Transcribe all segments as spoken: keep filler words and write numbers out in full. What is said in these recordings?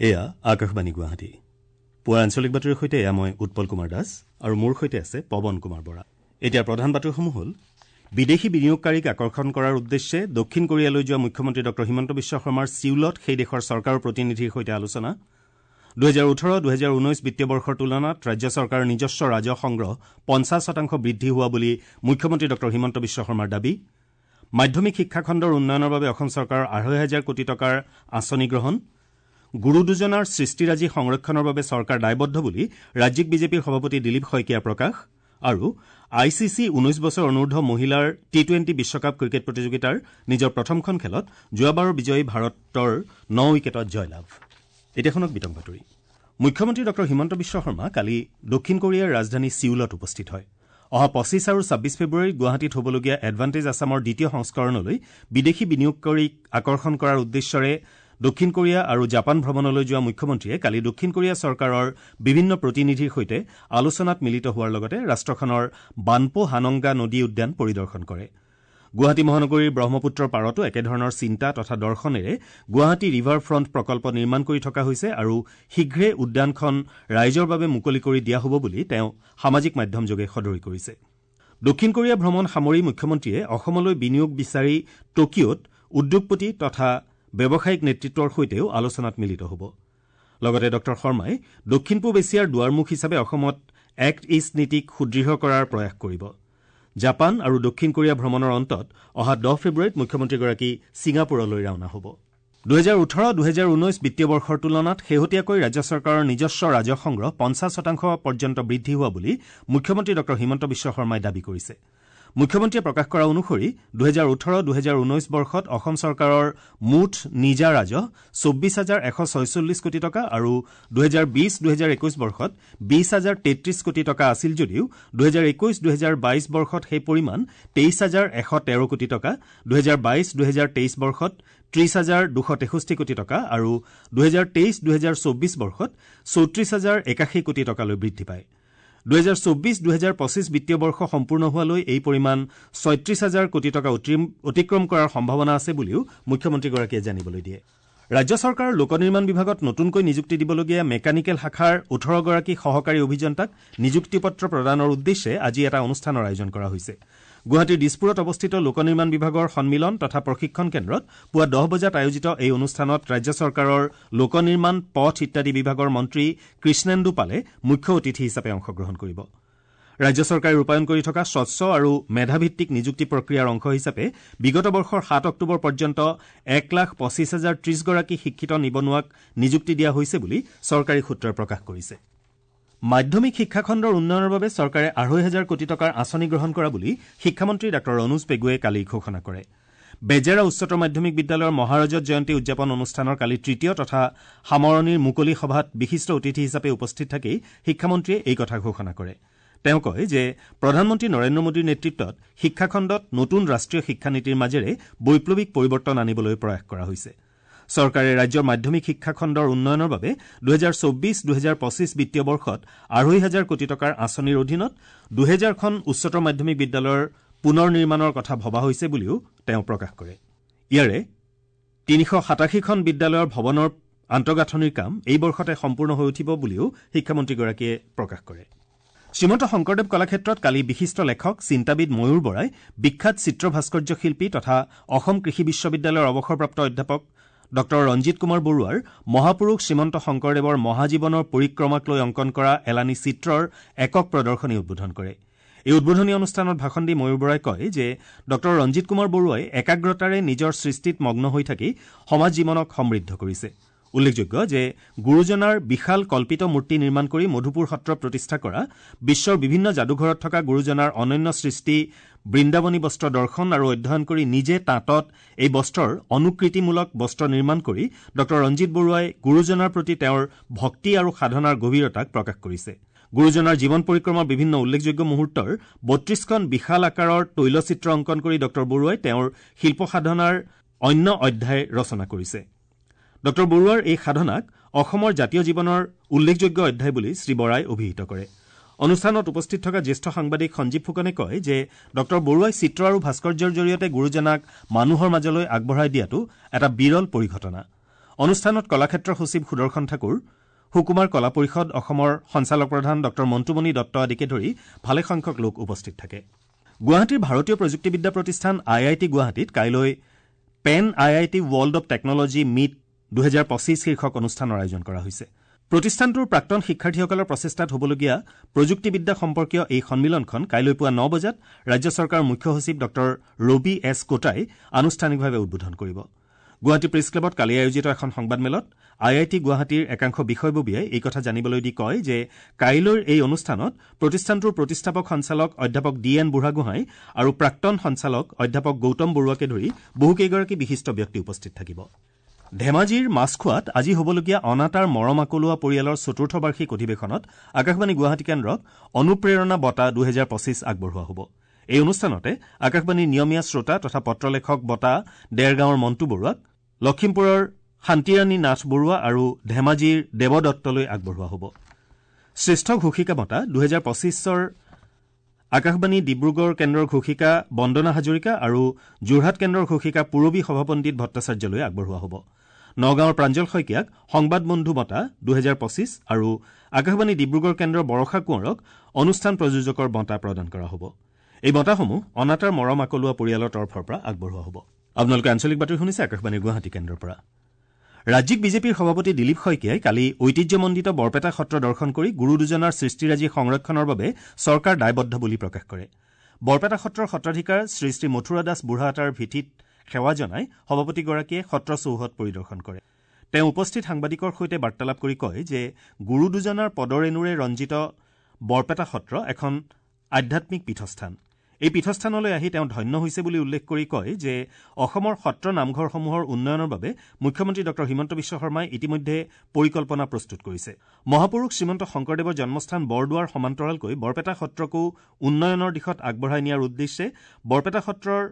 এয়া আকাশবাণী গুৱাহাটী। পুৱাৰ আঞ্চলিক বাতৰিৰ সৈতে এয়া মই উৎপল কুমাৰ দাস আৰু মোৰ সৈতে আছে পৱন কুমাৰ বৰা। এতিয়া প্ৰধান বাতৰিসমূহ হ'ল: বিদেশী বিনিয়োগকাৰীক আকৰ্ষণ কৰাৰ উদ্দেশ্যে দক্ষিণ কোৰিয়ালৈ যোৱা মুখ্যমন্ত্ৰী ডঃ হিমন্ত বিশ্ব শৰ্মাৰ ছিউলত সেই দেশৰ চৰকাৰৰ প্ৰতিনিধিৰ সৈতে আলোচনা। দুহেজাৰ ওঠৰ দুহেজাৰ ঊনৈছ বিত্তীয় বৰ্ষৰ তুলনাত ৰাজ্য চৰকাৰৰ নিজস্ব ৰাজহ সংগ্ৰহ পঞ্চাছ শতাংশ বৃদ্ধি হোৱা বুলি মুখ্যমন্ত্ৰী ডঃ হিমন্ত বিশ্ব শৰ্মাৰ দাবী। মাধ্যমিক শিক্ষাখণ্ডৰ উন্নয়নৰ বাবে অসম চৰকাৰৰ আঢ়ৈ হাজাৰ কোটি টকাৰ আঁচনি গ্ৰহণ। গুৰু দুজনাৰ সৃষ্টিৰাজি সংৰক্ষণৰ বাবে চৰকাৰ দায়বদ্ধ বুলি ৰাজ্যিক বিজেপিৰ সভাপতি দিলীপ শইকীয়াৰ প্ৰকাশ। আৰু I C C ঊনৈছ বছৰ অনুৰ্ধ মহিলাৰ টি টুৱেণ্টি বিশ্বকাপ ক্ৰিকেট প্ৰতিযোগিতাৰ নিজৰ প্ৰথমখন খেলত যোৱাবাৰৰ বিজয়ী ভাৰতৰ ন উইকেটত জয়লাভ। এতিয়া শুনক বিতং বাতৰি। মুখ্যমন্ত্ৰী ডঃ হিমন্ত বিশ্ব শৰ্মা কালি দক্ষিণ কোৰিয়াৰ ৰাজধানী ছিউলত উপস্থিত হয়। অহা পঁচিছ আৰু ছাব্বিছ ফেব্ৰুৱাৰীত গুৱাহাটীত হ'বলগীয়া এডভান্টেজ আছামৰ দ্বিতীয় সংস্কৰণলৈ বিদেশী বিনিয়োগকাৰীক আকৰ্ষণ কৰাৰ উদ্দেশ্যৰে দক্ষিণ কোৰিয়া আৰু জাপান ভ্ৰমণলৈ যোৱা মুখ্যমন্ত্ৰীয়ে কালি দক্ষিণ কোৰিয়া চৰকাৰৰ বিভিন্ন প্ৰতিনিধিৰ সৈতে আলোচনাত মিলিত হোৱাৰ লগতে ৰাষ্ট্ৰখনৰ বানপো হানংগা নদী উদ্যান পৰিদৰ্শন কৰে। গুৱাহাটী মহানগৰীৰ ব্ৰহ্মপুত্ৰৰ পাৰতো একেধৰণৰ চিন্তা তথা দৰ্শনেৰে গুৱাহাটী ৰিভাৰ ফ্ৰণ্ট প্ৰকল্প নিৰ্মাণ কৰি থকা হৈছে আৰু শীঘ্ৰে উদ্যানখন ৰাইজৰ বাবে মুকলি কৰি দিয়া হ'ব বুলি তেওঁ সামাজিক মাধ্যমযোগে সদৰি কৰিছে। দক্ষিণ কোৰিয়া ভ্ৰমণ সামৰি মুখ্যমন্ত্ৰীয়ে অসমলৈ বিনিয়োগ বিচাৰি টকিঅ'ত উদ্যোগপতি তথা ব্যৱসায়িক নেতৃত্বৰ সৈতেও আলোচনাত মিলিত হ'ব। লগতে ডঃ শৰ্মাই দক্ষিণ পূব এছিয়াৰ দুৱাৰমুখ হিচাপে অসমত এক্ট ইষ্ট নীতিক সুদৃঢ় কৰাৰ প্ৰয়াস কৰিব। জাপান আৰু দক্ষিণ কোৰিয়া ভ্ৰমণৰ অন্তত অহা দহ ফেব্ৰুৱাৰীত মুখ্যমন্ত্ৰীগৰাকী ছিংগাপুৰলৈ ৰাওনা হ'ব। দুহেজাৰ ওঠৰ দুহেজাৰ ঊনৈছ বিত্তীয় বৰ্ষৰ তুলনাত শেহতীয়াকৈ ৰাজ্য চৰকাৰৰ নিজস্ব ৰাজহ সংগ্ৰহ পঞ্চাছ শতাংশ পৰ্যন্ত বৃদ্ধি হোৱা বুলি মুখ্যমন্ত্ৰী ডঃ হিমন্ত বিশ্ব শৰ্মাই দাবী কৰিছে। মুখ্যমন্ত্ৰীয়ে প্ৰকাশ কৰা অনুসৰি দুহেজাৰ ওঠৰ দুহেজাৰ ঊনৈছ বৰ্ষত অসম চৰকাৰৰ মুঠ নিজা ৰাজহ চৌব্বিছ হাজাৰ এশ ছয়চল্লিছ কোটি টকা আৰু দুহেজাৰ বিছ দুহেজাৰ একৈছ বৰ্ষত বিছ হাজাৰ তেত্ৰিছ কোটি টকা আছিল যদিও দুহেজাৰ একৈছ দুহেজাৰ বাইছ বৰ্ষত সেই পৰিমাণ তেইছ হাজাৰ এশ তেৰ কোটি টকা, দুহেজাৰ বাইছ দুহেজাৰ তেইছ বৰ্ষত ত্ৰিছ হাজাৰ দুশ তেষষ্ঠি কোটি টকা আৰু দুহেজাৰ তেইছ দুহেজাৰ চৌব্বিছ বৰ্ষত চৌত্ৰিছ হাজাৰ একাশী কোটি টকালৈ বৃদ্ধি পায়। দুহেজাৰ চৌব্বিছ দুহেজাৰ পঁচিছ বিত্তীয় বৰ্ষ সম্পূৰ্ণ হোৱালৈ এই পৰিমাণ ছয়ত্ৰিছ হাজাৰ কোটি টকা অতিক্ৰম কৰাৰ সম্ভাৱনা আছে বুলিও মুখ্যমন্ত্ৰীগৰাকীয়ে জানিবলৈ দিয়ে। ৰাজ্য চৰকাৰৰ লোক নিৰ্মাণ বিভাগত নতুনকৈ নিযুক্তি দিবলগীয়া মেকানিকেল শাখাৰ ওঠৰগৰাকী সহকাৰী অভিযন্তাক নিযুক্তি পত্ৰ প্ৰদানৰ উদ্দেশ্যে আজি এটা অনুষ্ঠানৰ আয়োজন কৰা হৈছে। গুৱাহাটীৰ দিছপুৰত অৱস্থিত লোক নিৰ্মাণ বিভাগৰ সন্মিলন তথা প্ৰশিক্ষণ কেন্দ্ৰত পুৱা দহ বজাত আয়োজিত এই অনুষ্ঠানত ৰাজ্য চৰকাৰৰ লোক নিৰ্মাণ, পথ ইত্যাদি বিভাগৰ মন্ত্ৰী কৃষ্ণেন্দু পালে মুখ্য অতিথি হিচাপে অংশগ্ৰহণ কৰিব। ৰাজ্য চৰকাৰে ৰূপায়ণ কৰি থকা স্বচ্ছ আৰু মেধাভিত্তিক নিযুক্তি প্ৰক্ৰিয়াৰ অংশ হিচাপে বিগত বৰ্ষৰ সাত অক্টোবৰ পৰ্যন্ত এক লাখ পঁচিছ হাজাৰ ত্ৰিছগৰাকী শিক্ষিত নিবনুৱাক নিযুক্তি দিয়া হৈছে বুলি চৰকাৰী সূত্ৰই প্ৰকাশ কৰিছে। মাধ্যমিক শিক্ষাখণ্ডৰ উন্নয়নৰ বাবে চৰকাৰে আঢ়ৈ হাজাৰ কোটি টকাৰ আঁচনি গ্ৰহণ কৰা বুলি শিক্ষামন্ত্ৰী ডাঃ অনুজ পেগুৱে কালি ঘোষণা কৰে। বেজেৰা উচ্চতৰ মাধ্যমিক বিদ্যালয়ৰ মহাৰজত জয়ন্তী উদযাপন অনুষ্ঠানৰ কালি তৃতীয় তথা সামৰণিৰ মুকলি সভাত বিশিষ্ট অতিথি হিচাপে উপস্থিত থাকি শিক্ষামন্ত্ৰীয়ে এই কথা ঘোষণা কৰে। তেওঁ কয় যে প্ৰধানমন্ত্ৰী নৰেন্দ্ৰ মোদীৰ নেতৃত্বত শিক্ষাখণ্ডত নতুন ৰাষ্ট্ৰীয় শিক্ষানীতিৰ মাজেৰে বৈপ্লৱিক পৰিৱৰ্তন আনিবলৈ প্ৰয়াস কৰা হৈছে। চৰকাৰে ৰাজ্যৰ মাধ্যমিক শিক্ষাখণ্ডৰ উন্নয়নৰ বাবে দুহেজাৰ চৌব্বিছ দুহেজাৰ পঁচিছ বিত্তীয় বৰ্ষত আঢ়ৈ হাজাৰ কোটি টকাৰ আঁচনিৰ অধীনত দুহেজাৰখন উচ্চতৰ মাধ্যমিক বিদ্যালয়ৰ পুনৰ নিৰ্মাণৰ কথা ভবা হৈছে বুলিও তেওঁ প্ৰকাশ কৰে। ইয়াৰে তিনিশ সাতাশীখন বিদ্যালয়ৰ ভৱনৰ আন্তঃগাঁথনিৰ কাম এই বৰ্ষতে সম্পূৰ্ণ হৈ উঠিব বুলিও শিক্ষামন্ত্ৰীগৰাকীয়ে প্ৰকাশ কৰে। শ্ৰীমন্ত শংকৰদেৱ কলাক্ষেত্ৰত কালি বিশিষ্ট লেখক চিন্তাবিদ ময়ূৰ বৰাই বিখ্যাত চিত্ৰ ভাস্কৰ্য শিল্পী তথা অসম কৃষি বিশ্ববিদ্যালয়ৰ অৱসৰপ্ৰাপ্ত অধ্যাপক ডঃ ৰঞ্জিত কুমাৰ বৰুৱাৰ মহাপুৰুষ শ্ৰীমন্ত শংকৰদেৱৰ মহাজীৱনৰ পৰিক্ৰমাক লৈ অংকন কৰা এলানি চিত্ৰৰ একক প্ৰদৰ্শনী উদ্বোধন কৰে। এই উদ্বোধনী অনুষ্ঠানত ভাষণ দি ময়ূৰ বৰাই কয় যে ডঃ ৰঞ্জিত কুমাৰ বৰুৱাই একাগ্ৰতাৰে নিজৰ সৃষ্টিত মগ্ন হৈ থাকি সমাজ জীৱনক সমৃদ্ধ কৰিছে। উল্লেখযোগ্য যে গুৰুজনাৰ বিশাল কল্পিত মূৰ্তি নিৰ্মাণ কৰি মধুপুৰ সত্ৰ প্ৰতিষ্ঠা কৰা, বিশ্বৰ বিভিন্ন যাদুঘৰত থকা গুৰুজনাৰ অনন্য সৃষ্টি বৃন্দাবনী বস্ত্ৰ দৰ্শন আৰু অধ্যয়ন কৰি নিজে তাঁতত এই বস্ত্ৰৰ অনুকৃতিমূলক বস্ত্ৰ নিৰ্মাণ কৰি ডঃ ৰঞ্জিত বৰুৱাই গুৰুজনাৰ প্ৰতি তেওঁৰ ভক্তি আৰু সাধনাৰ গভীৰতাক প্ৰকাশ কৰিছে। গুৰুজনাৰ জীৱন পৰিক্ৰমাৰ বিভিন্ন উল্লেখযোগ্য মুহূৰ্তৰ বত্ৰিছখন বিশাল আকাৰৰ তৈলচিত্ৰ অংকন কৰি ডঃ বৰুৱাই তেওঁৰ শিল্প সাধনাৰ অন্য অধ্যায় ৰচনা কৰিছে। ডঃ বৰুৱাৰ এই সাধনাক অসমৰ জাতীয় জীৱনৰ উল্লেখযোগ্য অধ্যায় বুলি শ্ৰী বৰাই অভিহিত কৰে। অনুষ্ঠানত উপস্থিত থকা জ্যেষ্ঠ সাংবাদিক সঞ্জীৱ ফুকনে কয় যে ডঃ বৰুৱাই চিত্ৰ আৰু ভাস্কৰ্যৰ জৰিয়তে গুৰুজনাক মানুহৰ মাজলৈ আগবঢ়াই দিয়াটো এটা বিৰল পৰিঘটনা। অনুষ্ঠানত কলাক্ষেত্ৰ সচিব সুদৰ্শন ঠাকুৰ, সুকুমাৰ কলা পৰিষদ অসমৰ সঞ্চালক প্ৰধান ডঃ মণ্টুমণি দত্ত আদিকে ধৰি ভালেসংখ্যক লোক উপস্থিত থাকে। গুৱাহাটীৰ ভাৰতীয় প্ৰযুক্তিবিদ্যা প্ৰতিষ্ঠান আই I T গুৱাহাটীত কাইলৈ Pan I I T world of technology meet দুহেজাৰ পঁচিছ শীৰ্ষক অনুষ্ঠানৰ আয়োজন কৰা হৈছে। প্ৰতিষ্ঠানটোৰ প্ৰাক্তন শিক্ষাৰ্থীসকলৰ প্ৰচেষ্টাত হ'বলগীয়া প্ৰযুক্তিবিদ্যা সম্পৰ্কীয় এই সন্মিলনখন কাইলৈ পুৱা ন বজাত ৰাজ্য চৰকাৰৰ মুখ্য সচিব ডঃ ৰবি এছ কোটাই আনুষ্ঠানিকভাৱে উদ্বোধন কৰিব। গুৱাহাটী প্ৰেছ ক্লাবত কালি আয়োজিত এখন সংবাদমেলত আই I T গুৱাহাটীৰ একাংশ বিষয়ববীয়াই এই কথা জানিবলৈ দি কয় যে কাইলৈৰ এই অনুষ্ঠানত প্ৰতিষ্ঠানটোৰ প্ৰতিষ্ঠাপক সঞ্চালক অধ্যাপক ডি এন বুঢ়াগোহাঁই আৰু প্ৰাক্তন সঞ্চালক অধ্যাপক গৌতম বৰুৱাকে ধৰি বহুকেইগৰাকী বিশিষ্ট ব্যক্তি উপস্থিত থাকিব। ধেমাজিৰ মাছখোৱাত আজি হ'বলগীয়া অনাতাঁৰ মৰম আকলোৱা পৰিয়ালৰ চতুৰ্থ বাৰ্ষিক অধিৱেশনত আকাশবাণী গুৱাহাটী কেন্দ্ৰক অনুপ্ৰেৰণা বঁটা দুহেজাৰ পঁচিছ আগবঢ়োৱা হ'ব। এই অনুষ্ঠানতে আকাশবাণীৰ নিয়মীয়া শ্ৰোতা তথা পত্ৰলেখক বঁটা দেৰগাঁৱৰ মণ্টু বৰুৱাক, লখিমপুৰৰ শান্তিৰাণী নাথ বৰুৱা আৰু ধেমাজিৰ দেৱদত্তলৈ আগবঢ়োৱা হ'ব। শ্ৰেষ্ঠ ঘোষিকা বঁটা দুহেজাৰ পঁচিছৰ আকাশবাণী ডিব্ৰুগড় কেন্দ্ৰৰ ঘোষিকা বন্দনা হাজৰিকা আৰু যোৰহাট কেন্দ্ৰৰ ঘোষিকা পূৰবী সভাপণ্ডিত ভট্টাচাৰ্যলৈ আগবঢ়োৱা হ'ব। নগাঁৱৰ প্ৰাঞ্জল শইকীয়াক সংবাদ বন্ধু বঁটা দুহেজাৰ পঁচিছ আৰু আকাশবাণী ডিব্ৰুগড় কেন্দ্ৰৰ বৰষা কোঁৱৰক অনুষ্ঠান প্ৰযোজকৰ বঁটা প্ৰদান কৰা হ'ব। এই বঁটাসমূহ অনাতাঁৰ মৰম আকলোৱা পৰিয়ালৰ তৰফৰ পৰা আগবঢ়োৱা হ'ব। আপোনালোকে আঞ্চলিক বাতৰি শুনিছে আকাশবাণীৰ গুৱাহাটী কেন্দ্ৰৰ পৰা। ৰাজ্যিক বিজেপিৰ সভাপতি দিলীপ শইকীয়াই কালি ঐতিহ্যমণ্ডিত বৰপেটা সত্ৰ দৰ্শন কৰি গুৰু দুজনাৰ সৃষ্টিৰাজি সংৰক্ষণৰ বাবে চৰকাৰ দায়বদ্ধ বুলি প্ৰকাশ কৰে। বৰপেটা সত্ৰৰ সত্ৰাধিকাৰ শ্ৰী শ্ৰী মথুৰা দাস বুঢ়াআতাৰ ভিঠিত সেৱা জনাই সভাপতিগৰাকীয়ে সত্ৰ চৌহদ পৰিদৰ্শন কৰে। তেওঁ উপস্থিত সাংবাদিকৰ সৈতে বাৰ্তালাপ কৰি কয় যে গুৰু দুজনাৰ পদৰেণুৰে ৰঞ্জিত বৰপেটা সত্ৰ এখন আধ্যাত্মিক পীঠস্থান। এই পীঠস্থানলৈ আহি তেওঁ ধন্য হৈছে বুলি উল্লেখ কৰি কয় যে অসমৰ সত্ৰ নামঘৰসমূহৰ উন্নয়নৰ বাবে মুখ্যমন্ত্ৰী ডঃ হিমন্ত বিশ্ব শৰ্মাই ইতিমধ্যে পৰিকল্পনা প্ৰস্তুত কৰিছে। মহাপুৰুষ শ্ৰীমন্ত শংকৰদেৱৰ জন্মস্থান বৰদোৱাৰ সমান্তৰালকৈ বৰপেটা সত্ৰকো উন্নয়নৰ দিশত আগবঢ়াই নিয়াৰ উদ্দেশ্যে বৰপেটা সত্ৰৰ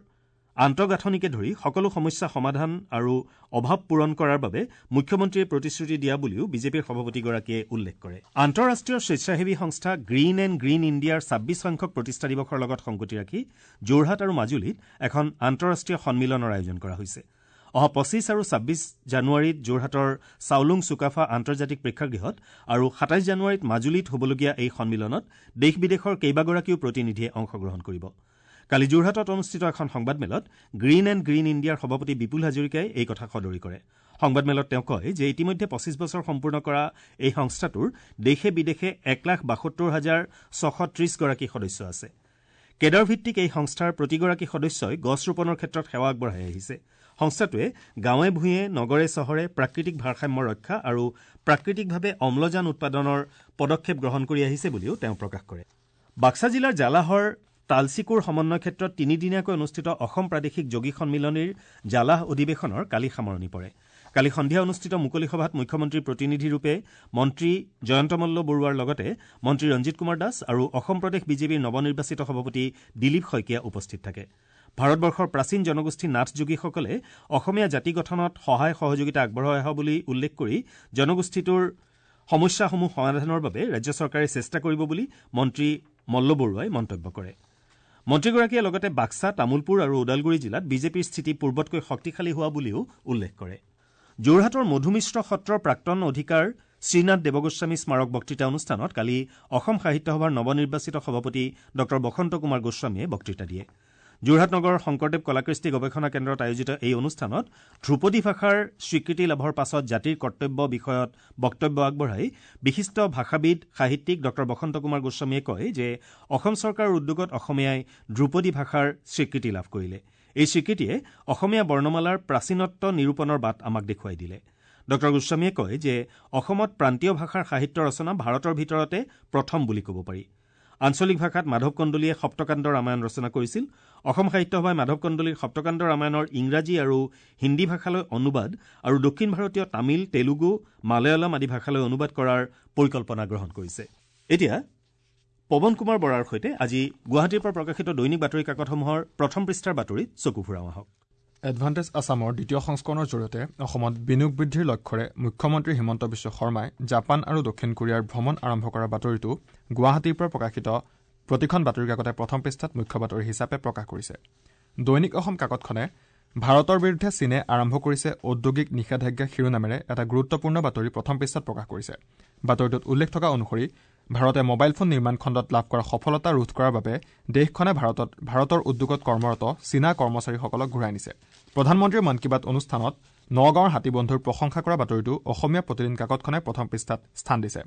আন্তঃগাঁথনিকে ধৰি সকলো সমস্যা সমাধান আৰু অভাৱ পূৰণ কৰাৰ বাবে মুখ্যমন্ত্ৰীয়ে প্ৰতিশ্ৰুতি দিয়া বুলিও বিজেপিৰ সভাপতিগৰাকীয়ে উল্লেখ কৰে। আন্তঃৰাষ্ট্ৰীয় স্বেচ্ছাসেৱী সংস্থা গ্ৰীণ এণ্ড গ্ৰীণ ইণ্ডিয়াৰ ছাব্বিছ সংখ্যক প্ৰতিষ্ঠা দিৱসৰ লগত সংগতি ৰাখি যোৰহাট আৰু মাজুলীত এখন আন্তঃৰাষ্ট্ৰীয় সন্মিলনৰ আয়োজন কৰা হৈছে। অহা পঁচিছ আৰু ছাব্বিছ জানুৱাৰীত যোৰহাটৰ চাওলুং চুকাফা আন্তৰ্জাতিক প্ৰেক্ষাগৃহত আৰু সাতাইছ জানুৱাৰীত মাজুলীত হ'বলগীয়া এই সন্মিলনত দেশ বিদেশৰ কেইবাগৰাকীও প্ৰতিনিধিয়ে অংশগ্ৰহণ কৰিব। কালি যোৰহাটত অনুষ্ঠিত এখন সংবাদমেলত গ্ৰীণ এণ্ড গ্ৰীণ ইণ্ডিয়াৰ সভাপতি বিপুল হাজৰিকাই এই কথা সদৰি কৰে। সংবাদমেলত তেওঁ কয় যে ইতিমধ্যে পঁচিছ বছৰ সম্পূৰ্ণ কৰা এই সংস্থাটোৰ দেশে বিদেশে এক লাখ বাসত্তৰ হাজাৰ ছশ ত্ৰিছগৰাকী সদস্য আছে। কেডাৰ ভিত্তিক এই সংস্থাৰ প্ৰতিগৰাকী সদস্যই গছ ৰোপণৰ ক্ষেত্ৰত সেৱা আগবঢ়াই আহিছে। সংস্থাটোৱে গাঁৱে ভূঞে, নগৰে চহৰে প্ৰাকৃতিক ভাৰসাম্য ৰক্ষা আৰু প্ৰাকৃতিকভাৱে অম্লজান উৎপাদনৰ পদক্ষেপ গ্ৰহণ কৰি আহিছে বুলিও তেওঁ প্ৰকাশ কৰে। বাক্সা জিলাৰ জালাহৰ তালচিকুৰ সমন্বয় ক্ষেত্ৰত তিনিদিনীয়াকৈ অনুষ্ঠিত অসম প্ৰাদেশিক যোগী সন্মিলনীৰ জালাহ অধিৱেশনৰ কালি সামৰণি পৰে। কালি সন্ধিয়া অনুষ্ঠিত মুকলি সভাত মুখ্যমন্ত্ৰীৰ প্ৰতিনিধিৰূপে মন্ত্ৰী জয়ন্ত মল্ল বৰুৱাৰ লগতে মন্ত্ৰী ৰঞ্জিত কুমাৰ দাস আৰু অসম প্ৰদেশ বিজেপিৰ নৱনিৰ্বাচিত সভাপতি দিলীপ শইকীয়া উপস্থিত থাকে। ভাৰতবৰ্ষৰ প্ৰাচীন জনগোষ্ঠী নাথ যোগীসকলে অসমীয়া জাতি গঠনত সহায় সহযোগিতা আগবঢ়াই অহা বুলি উল্লেখ কৰি জনগোষ্ঠীটোৰ সমস্যাসমূহ সমাধানৰ বাবে ৰাজ্য চৰকাৰে চেষ্টা কৰিব বুলি মন্ত্ৰী মল্ল বৰুৱাই মন্তব্য কৰে। মন্ত্ৰীগৰাকীয়ে লগতে বাক্সা, তামুলপুৰ আৰু ওদালগুৰি জিলাত বিজেপিৰ স্থিতি পূৰ্বতকৈ শক্তিশালী হোৱা বুলিও উল্লেখ কৰে। যোৰহাটৰ মধুমিশ্ৰ সত্ৰৰ প্ৰাক্তন অধিকাৰ শ্ৰীনাথ দেৱগোস্বামী স্মাৰক বক্তৃতা অনুষ্ঠানত কালি অসম সাহিত্য সভাৰ নৱনিৰ্বাচিত সভাপতি ডঃ বসন্ত কুমাৰ গোস্বামীয়ে বক্তৃতা দিয়ে। যোৰহাট নগৰৰ শংকৰদেৱ কলাকৃষ্টি গৱেষণা কেন্দ্ৰত আয়োজিত এই অনুষ্ঠানত ধ্ৰুপদী ভাষাৰ স্বীকৃতি লাভৰ পাছত জাতিৰ কৰ্তব্য বিষয়ত বক্তব্য আগবঢ়াই বিশিষ্ট ভাষাবিদ সাহিত্যিক ডঃ বসন্ত কুমাৰ গোস্বামীয়ে কয় যে অসম চৰকাৰৰ উদ্যোগত অসমীয়াই ধ্ৰুপদী ভাষাৰ স্বীকৃতি লাভ কৰিলে। এই স্বীকৃতিয়ে অসমীয়া বৰ্ণমালাৰ প্ৰাচীনত্ব নিৰূপণৰ বাট আমাক দেখুৱাই দিলে। ডঃ গোস্বামীয়ে কয় যে অসমত প্ৰান্তীয় ভাষাৰ সাহিত্য ৰচনা ভাৰতৰ ভিতৰতে প্ৰথম বুলি ক'ব পাৰি। আঞ্চলিক ভাষাত মাধৱ কন্দলীয়ে সপ্তকাণ্ড ৰামায়ণ ৰচনা কৰিছিল। অসম সাহিত্য সভাই মাধৱ কন্দলীৰ সপ্তকাণ্ড ৰামায়ণৰ ইংৰাজী আৰু হিন্দী ভাষালৈ অনুবাদ আৰু দক্ষিণ ভাৰতীয় তামিল, তেলুগু, মালয়ালম আদি ভাষালৈ অনুবাদ কৰাৰ পৰিকল্পনা গ্ৰহণ কৰিছে। এতিয়া পৱন কুমাৰ বৰাৰ সৈতে আজি গুৱাহাটীৰ পৰা প্ৰকাশিত দৈনিক বাতৰি কাকতসমূহৰ প্ৰথম পৃষ্ঠাৰ বাতৰিত চকু ফুৰাওঁ আহক। এডভান্টেজ আছামৰ দ্বিতীয় সংস্কৰণৰ জৰিয়তে অসমত বিনিয়োগ বৃদ্ধিৰ লক্ষ্যৰে মুখ্যমন্ত্ৰী হিমন্ত বিশ্ব শৰ্মাই জাপান আৰু দক্ষিণ কোৰিয়াৰ ভ্ৰমণ আৰম্ভ কৰাৰ বাতৰিটো গুৱাহাটীৰ পৰা প্ৰকাশিত প্ৰতিখন বাতৰি কাকতে প্ৰথম পৃষ্ঠাত মুখ্য বাতৰি হিচাপে প্ৰকাশ কৰিছে। দৈনিক অসম কাকতখনে ভাৰতৰ বিৰুদ্ধে চীনে আৰম্ভ কৰিছে ঔদ্যোগিক নিষেধাজ্ঞা শিৰোনামেৰে এটা গুৰুত্বপূৰ্ণ বাতৰি প্ৰথম পৃষ্ঠাত প্ৰকাশ কৰিছে। বাতৰিটোত উল্লেখ থকা অনুসৰি ভাৰতে মোবাইল ফোন নিৰ্মাণ খণ্ডত লাভ কৰা সফলতা ৰোধ কৰাৰ বাবে দেশখনে ভাৰতত ভাৰতৰ উদ্যোগত কৰ্মৰত চীনা কৰ্মচাৰীসকলক ঘূৰাই নিছে। প্ৰধানমন্ত্ৰীৰ মন কী বাত অনুষ্ঠানত নগাঁৱৰ হাতীবন্ধুৰ প্ৰশংসা কৰা বাতৰিটো অসমীয়া প্ৰতিদিন কাকতখনে প্ৰথম পৃষ্ঠাত স্থান দিছে।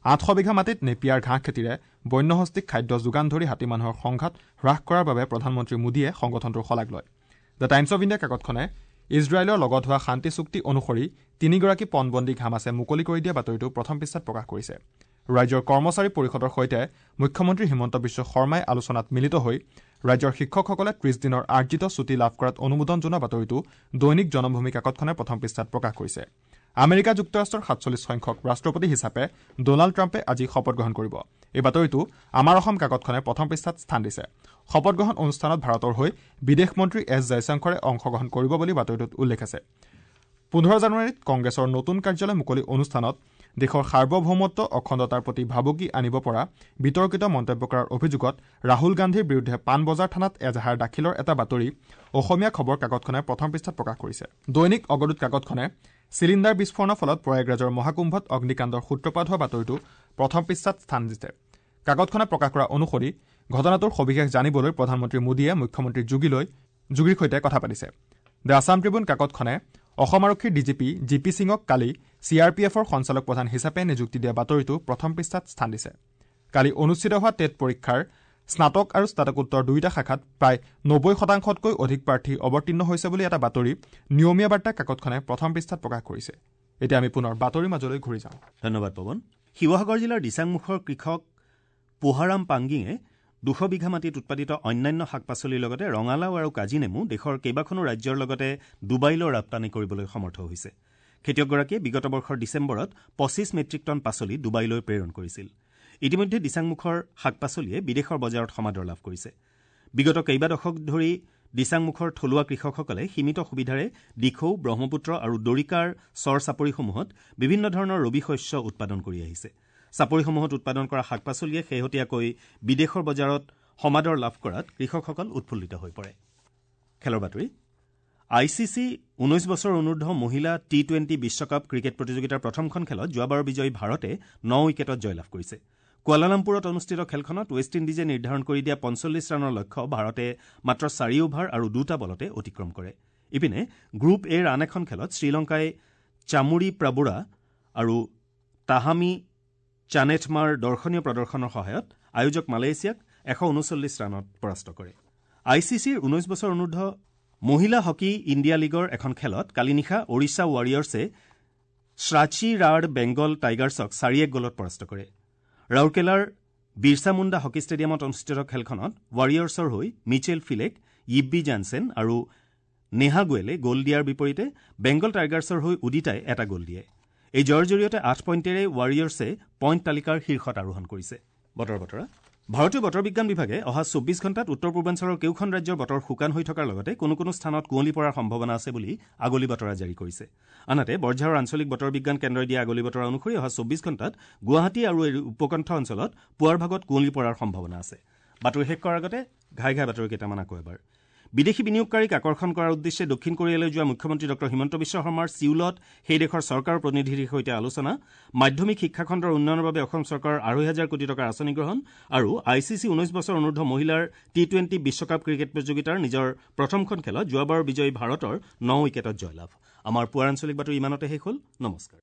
আঠশ বিঘা মাটিত নেপিয়াৰ ঘাঁহ খেতিৰে বন্যহস্তীক খাদ্য যোগান ধৰি হাতী মানুহৰ সংঘাত হ্ৰাস কৰাৰ বাবে প্ৰধানমন্ত্ৰী মোদীয়ে সংগঠনটোৰ শলাগ লয়। The times of India কাকতখনে ইজৰাইলৰ লগত হোৱা শান্তি চুক্তি অনুসৰি তিনিগৰাকী পণবন্দীক হামাছে মুকলি কৰি দিয়া বাতৰিটো প্ৰথম পৃষ্ঠাত প্ৰকাশ কৰিছে। ৰাজ্যৰ কৰ্মচাৰী পৰিষদৰ সৈতে মুখ্যমন্ত্ৰী হিমন্ত বিশ্ব শৰ্মাই আলোচনাত মিলিত হৈ ৰাজ্যৰ শিক্ষকসকলে ত্ৰিশ দিনৰ আৰ্জিত ছুটী লাভ কৰাত অনুমোদন জনোৱা বাতৰিটো দৈনিক জনমভূমি কাকতখনে প্ৰথম পৃষ্ঠাত প্ৰকাশ কৰিছে। আমেৰিকা যুক্তৰাষ্ট্ৰৰ সাতচল্লিছ সংখ্যক ৰাষ্ট্ৰপতি হিচাপে ডনাল্ড ট্ৰাম্পে আজি শপত গ্ৰহণ কৰিব। এই বাতৰিটো আমাৰ অসম কাকতখনে প্ৰথম পৃষ্ঠাত স্থান দিছে। শপত গ্ৰহণ অনুষ্ঠানত ভাৰতৰ হৈ বিদেশ মন্ত্ৰী এছ জয়শংকৰে অংশগ্ৰহণ কৰিব বুলি বাতৰিটোত উল্লেখ আছে। পোন্ধৰ জানুৱাৰীত কংগ্ৰেছৰ নতুন কাৰ্যালয় মুকলি অনুষ্ঠানত দেশৰ সাৰ্বভৌমত্ব অখণ্ডতাৰ প্ৰতি ভাবুকি আনিব পৰা বিতৰ্কিত মন্তব্য কৰাৰ অভিযোগত ৰাহুল গান্ধীৰ বিৰুদ্ধে পাণবজাৰ থানাত এজাহাৰ দাখিলৰ এটা বাতৰি অসমীয়া খবৰ কাকতখনে প্ৰথম পৃষ্ঠাত প্ৰকাশ কৰিছে। দৈনিক অগদূত কাকতখনে চিলিণ্ডাৰ বিস্ফোৰণৰ ফলত প্ৰয়াগৰাজৰ মহাকুম্ভত অগ্নিকাণ্ডৰ সূত্ৰপাত হোৱা বাতৰিটো প্ৰথম পৃষ্ঠাত স্থান দিছে। কাকতখনে প্ৰকাশ কৰা অনুসৰি ঘটনাটোৰ সবিশেষ জানিবলৈ প্ৰধানমন্ত্ৰী মোদীয়ে মুখ্যমন্ত্ৰী যোগীলৈ যোগীৰ সৈতে কথা পাতিছে। The Assam Tribune কাকতখনে অসম আৰক্ষীৰ D G P G P সিঙক কালি চি আৰ পি এফৰ সঞ্চালক প্ৰধান হিচাপে নিযুক্তি দিয়া বাতৰিটো প্ৰথম পৃষ্ঠাত স্থান দিছে। কালি অনুষ্ঠিত হোৱা টেট পৰীক্ষাৰ স্নাতক আৰু স্নাতকোত্তৰ দুয়োটা শাখাত প্ৰায় নব্বৈ শতাংশতকৈ অধিক প্ৰাৰ্থী অৱতীৰ্ণ হৈছে বুলি এটা বাতৰি নিয়মীয়া বাৰ্তা কাকতখনে প্ৰথম পৃষ্ঠাত প্ৰকাশ কৰিছে। এতিয়া আমি পুনৰ বাতৰিৰ মাজলৈ ঘূৰি যাওঁ। ধন্যবাদ পৱন। শিৱসাগৰ জিলাৰ দিচাংমুখৰ কৃষক পোহাৰাম পাংগিঙে দুশ বিঘা মাটিত উৎপাদিত অন্যান্য শাক পাচলিৰ লগতে ৰঙালাও আৰু কাজি নেমু দেশৰ কেইবাখনো ৰাজ্যৰ লগতে ডুবাইলৈ ৰপ্তানি কৰিবলৈ সমৰ্থ হৈছে। খেতিয়কগৰাকীয়ে বিগত বৰ্ষৰ ডিচেম্বৰত পঁচিছ মেট্ৰিক টন পাচলি ডুবাইলৈ প্ৰেৰণ কৰিছিল। ইতিমধ্যে দিচাংমুখৰ শাক পাচলিয়ে বিদেশৰ বজাৰত সমাদৰ লাভ কৰিছে। বিগত কেইবা দশক ধৰি দিচাংমুখৰ থলুৱা কৃষকসকলে সীমিত সুবিধাৰে দিখৌ, ব্ৰহ্মপুত্ৰ আৰু দৰিকাৰ চৰ চাপৰিসমূহত বিভিন্ন ধৰণৰ ৰবি শস্য উৎপাদন কৰি আহিছে। চাপৰিসমূহত উৎপাদন কৰা শাক পাচলিয়ে শেহতীয়াকৈ বিদেশৰ বজাৰত সমাদৰ লাভ কৰাত কৃষকসকল উৎফুল্লিত হৈ পৰে। খেলৰ বাতৰি। I C C ঊনৈছ বছৰ অনুৰ্ধ মহিলা টি টুৱেণ্টি বিশ্বকাপ ক্ৰিকেট প্ৰতিযোগিতাৰ প্ৰথমখন খেলত যোৱাবাৰৰ বিজয়ী ভাৰতে ন উইকেটত জয়লাভ কৰিছে। কুৱালালামপুৰত অনুষ্ঠিত খেলখনত ৱেষ্ট ইণ্ডিজে নিৰ্ধাৰণ কৰি দিয়া পঞ্চল্লিছ ৰানৰ লক্ষ্য ভাৰতে মাত্ৰ চাৰি অভাৰ আৰু দুটা বলতে অতিক্ৰম কৰে। ইপিনে গ্ৰুপ এৰ আন এখন খেলত শ্ৰীলংকাই চামুৰি প্ৰাবুৰা আৰু তাহামি চানেথমাৰ দৰ্শনীয় প্ৰদৰ্শনৰ সহায়ত আয়োজক মালয়েছিয়াক এশ ঊনচল্লিছ ৰানত পৰাস্ত কৰে। I C চিৰ ঊনৈছ বছৰ অনুৰ্ধ মহিলা হকী ইণ্ডিয়া লীগৰ এখন খেলত কালি নিশা ওড়িশা ৱাৰিয়ৰ্ছে শ্ৰাচী ৰাড বেংগল টাইগাৰ্ছক চাৰি এক গ'লত পৰাস্ত কৰে। ৰাউৰকেলাৰ বিৰছা মুণ্ডা হকী ষ্টেডিয়ামত অনুষ্ঠিত খেলখনত ৱাৰিয়ৰ্ছৰ হৈ মিচেল ফিলেক, য়িব্বি জানছেন আৰু নেহা গোৱেলে গ'ল দিয়াৰ বিপৰীতে বেংগল টাইগাৰ্ছৰ হৈ উদিতাই এটা গ'ল দিয়ে। এই জয়ৰ জৰিয়তে আঠ পইণ্টেৰে ৱাৰিয়ৰ্ছে পইণ্ট তালিকাৰ শীৰ্ষত আৰোহণ কৰিছে। বতৰ বতৰা। ভাৰতীয় বতৰ বিজ্ঞান বিভাগে অহা চৌব্বিছ ঘণ্টাত উত্তৰ পূৰ্বাঞ্চলৰ কেউখন ৰাজ্যৰ বতৰ শুকান হৈ থকাৰ লগতে কোনো কোনো স্থানত কুঁৱলী পৰাৰ সম্ভাৱনা আছে বুলি আগলি বতৰা জাৰি কৰিছে। আনহাতে বৰঝাৰৰ আঞ্চলিক বতৰ বিজ্ঞান কেন্দ্ৰই দিয়া আগলি বতৰা অনুসৰি অহা চৌব্বিছ ঘণ্টাত গুৱাহাটী আৰু এই উপকণ্ঠ অঞ্চলত পুৱাৰ ভাগত কুঁৱলী পৰাৰ সম্ভাৱনা আছে। বাতৰি শেষ কৰাৰ আগতে ঘাই ঘাই বাতৰি কেইটামান আকৌ এবাৰ। বিদেশী বিনিয়োগকাৰীক আকৰ্ষণ কৰাৰ উদ্দেশ্যে দক্ষিণ কোৰিয়ালৈ যোৱা মুখ্যমন্ত্ৰী ডঃ হিমন্ত বিশ্ব শৰ্মাৰ ছিউলত সেই দেশৰ চৰকাৰৰ প্ৰতিনিধিৰ সৈতে আলোচনা, মাধ্যমিক শিক্ষাখণ্ডৰ উন্নয়নৰ বাবে অসম চৰকাৰৰ আঢ়ৈ হাজাৰ কোটি টকাৰ আঁচনি গ্ৰহণ আৰু I C C ঊনৈছ বছৰ অনুৰ্ধ মহিলাৰ টি টুৱেণ্টি বিশ্বকাপ ক্ৰিকেট প্ৰতিযোগিতাৰ নিজৰ প্ৰথমখন খেলত যোৱাবাৰৰ বিজয়ী ভাৰতৰ ন উইকেটত জয়লাভ। আমাৰ পুৱাৰ আঞ্চলিক বাতৰি ইমানতে শেষ হ'ল। নমস্কাৰ।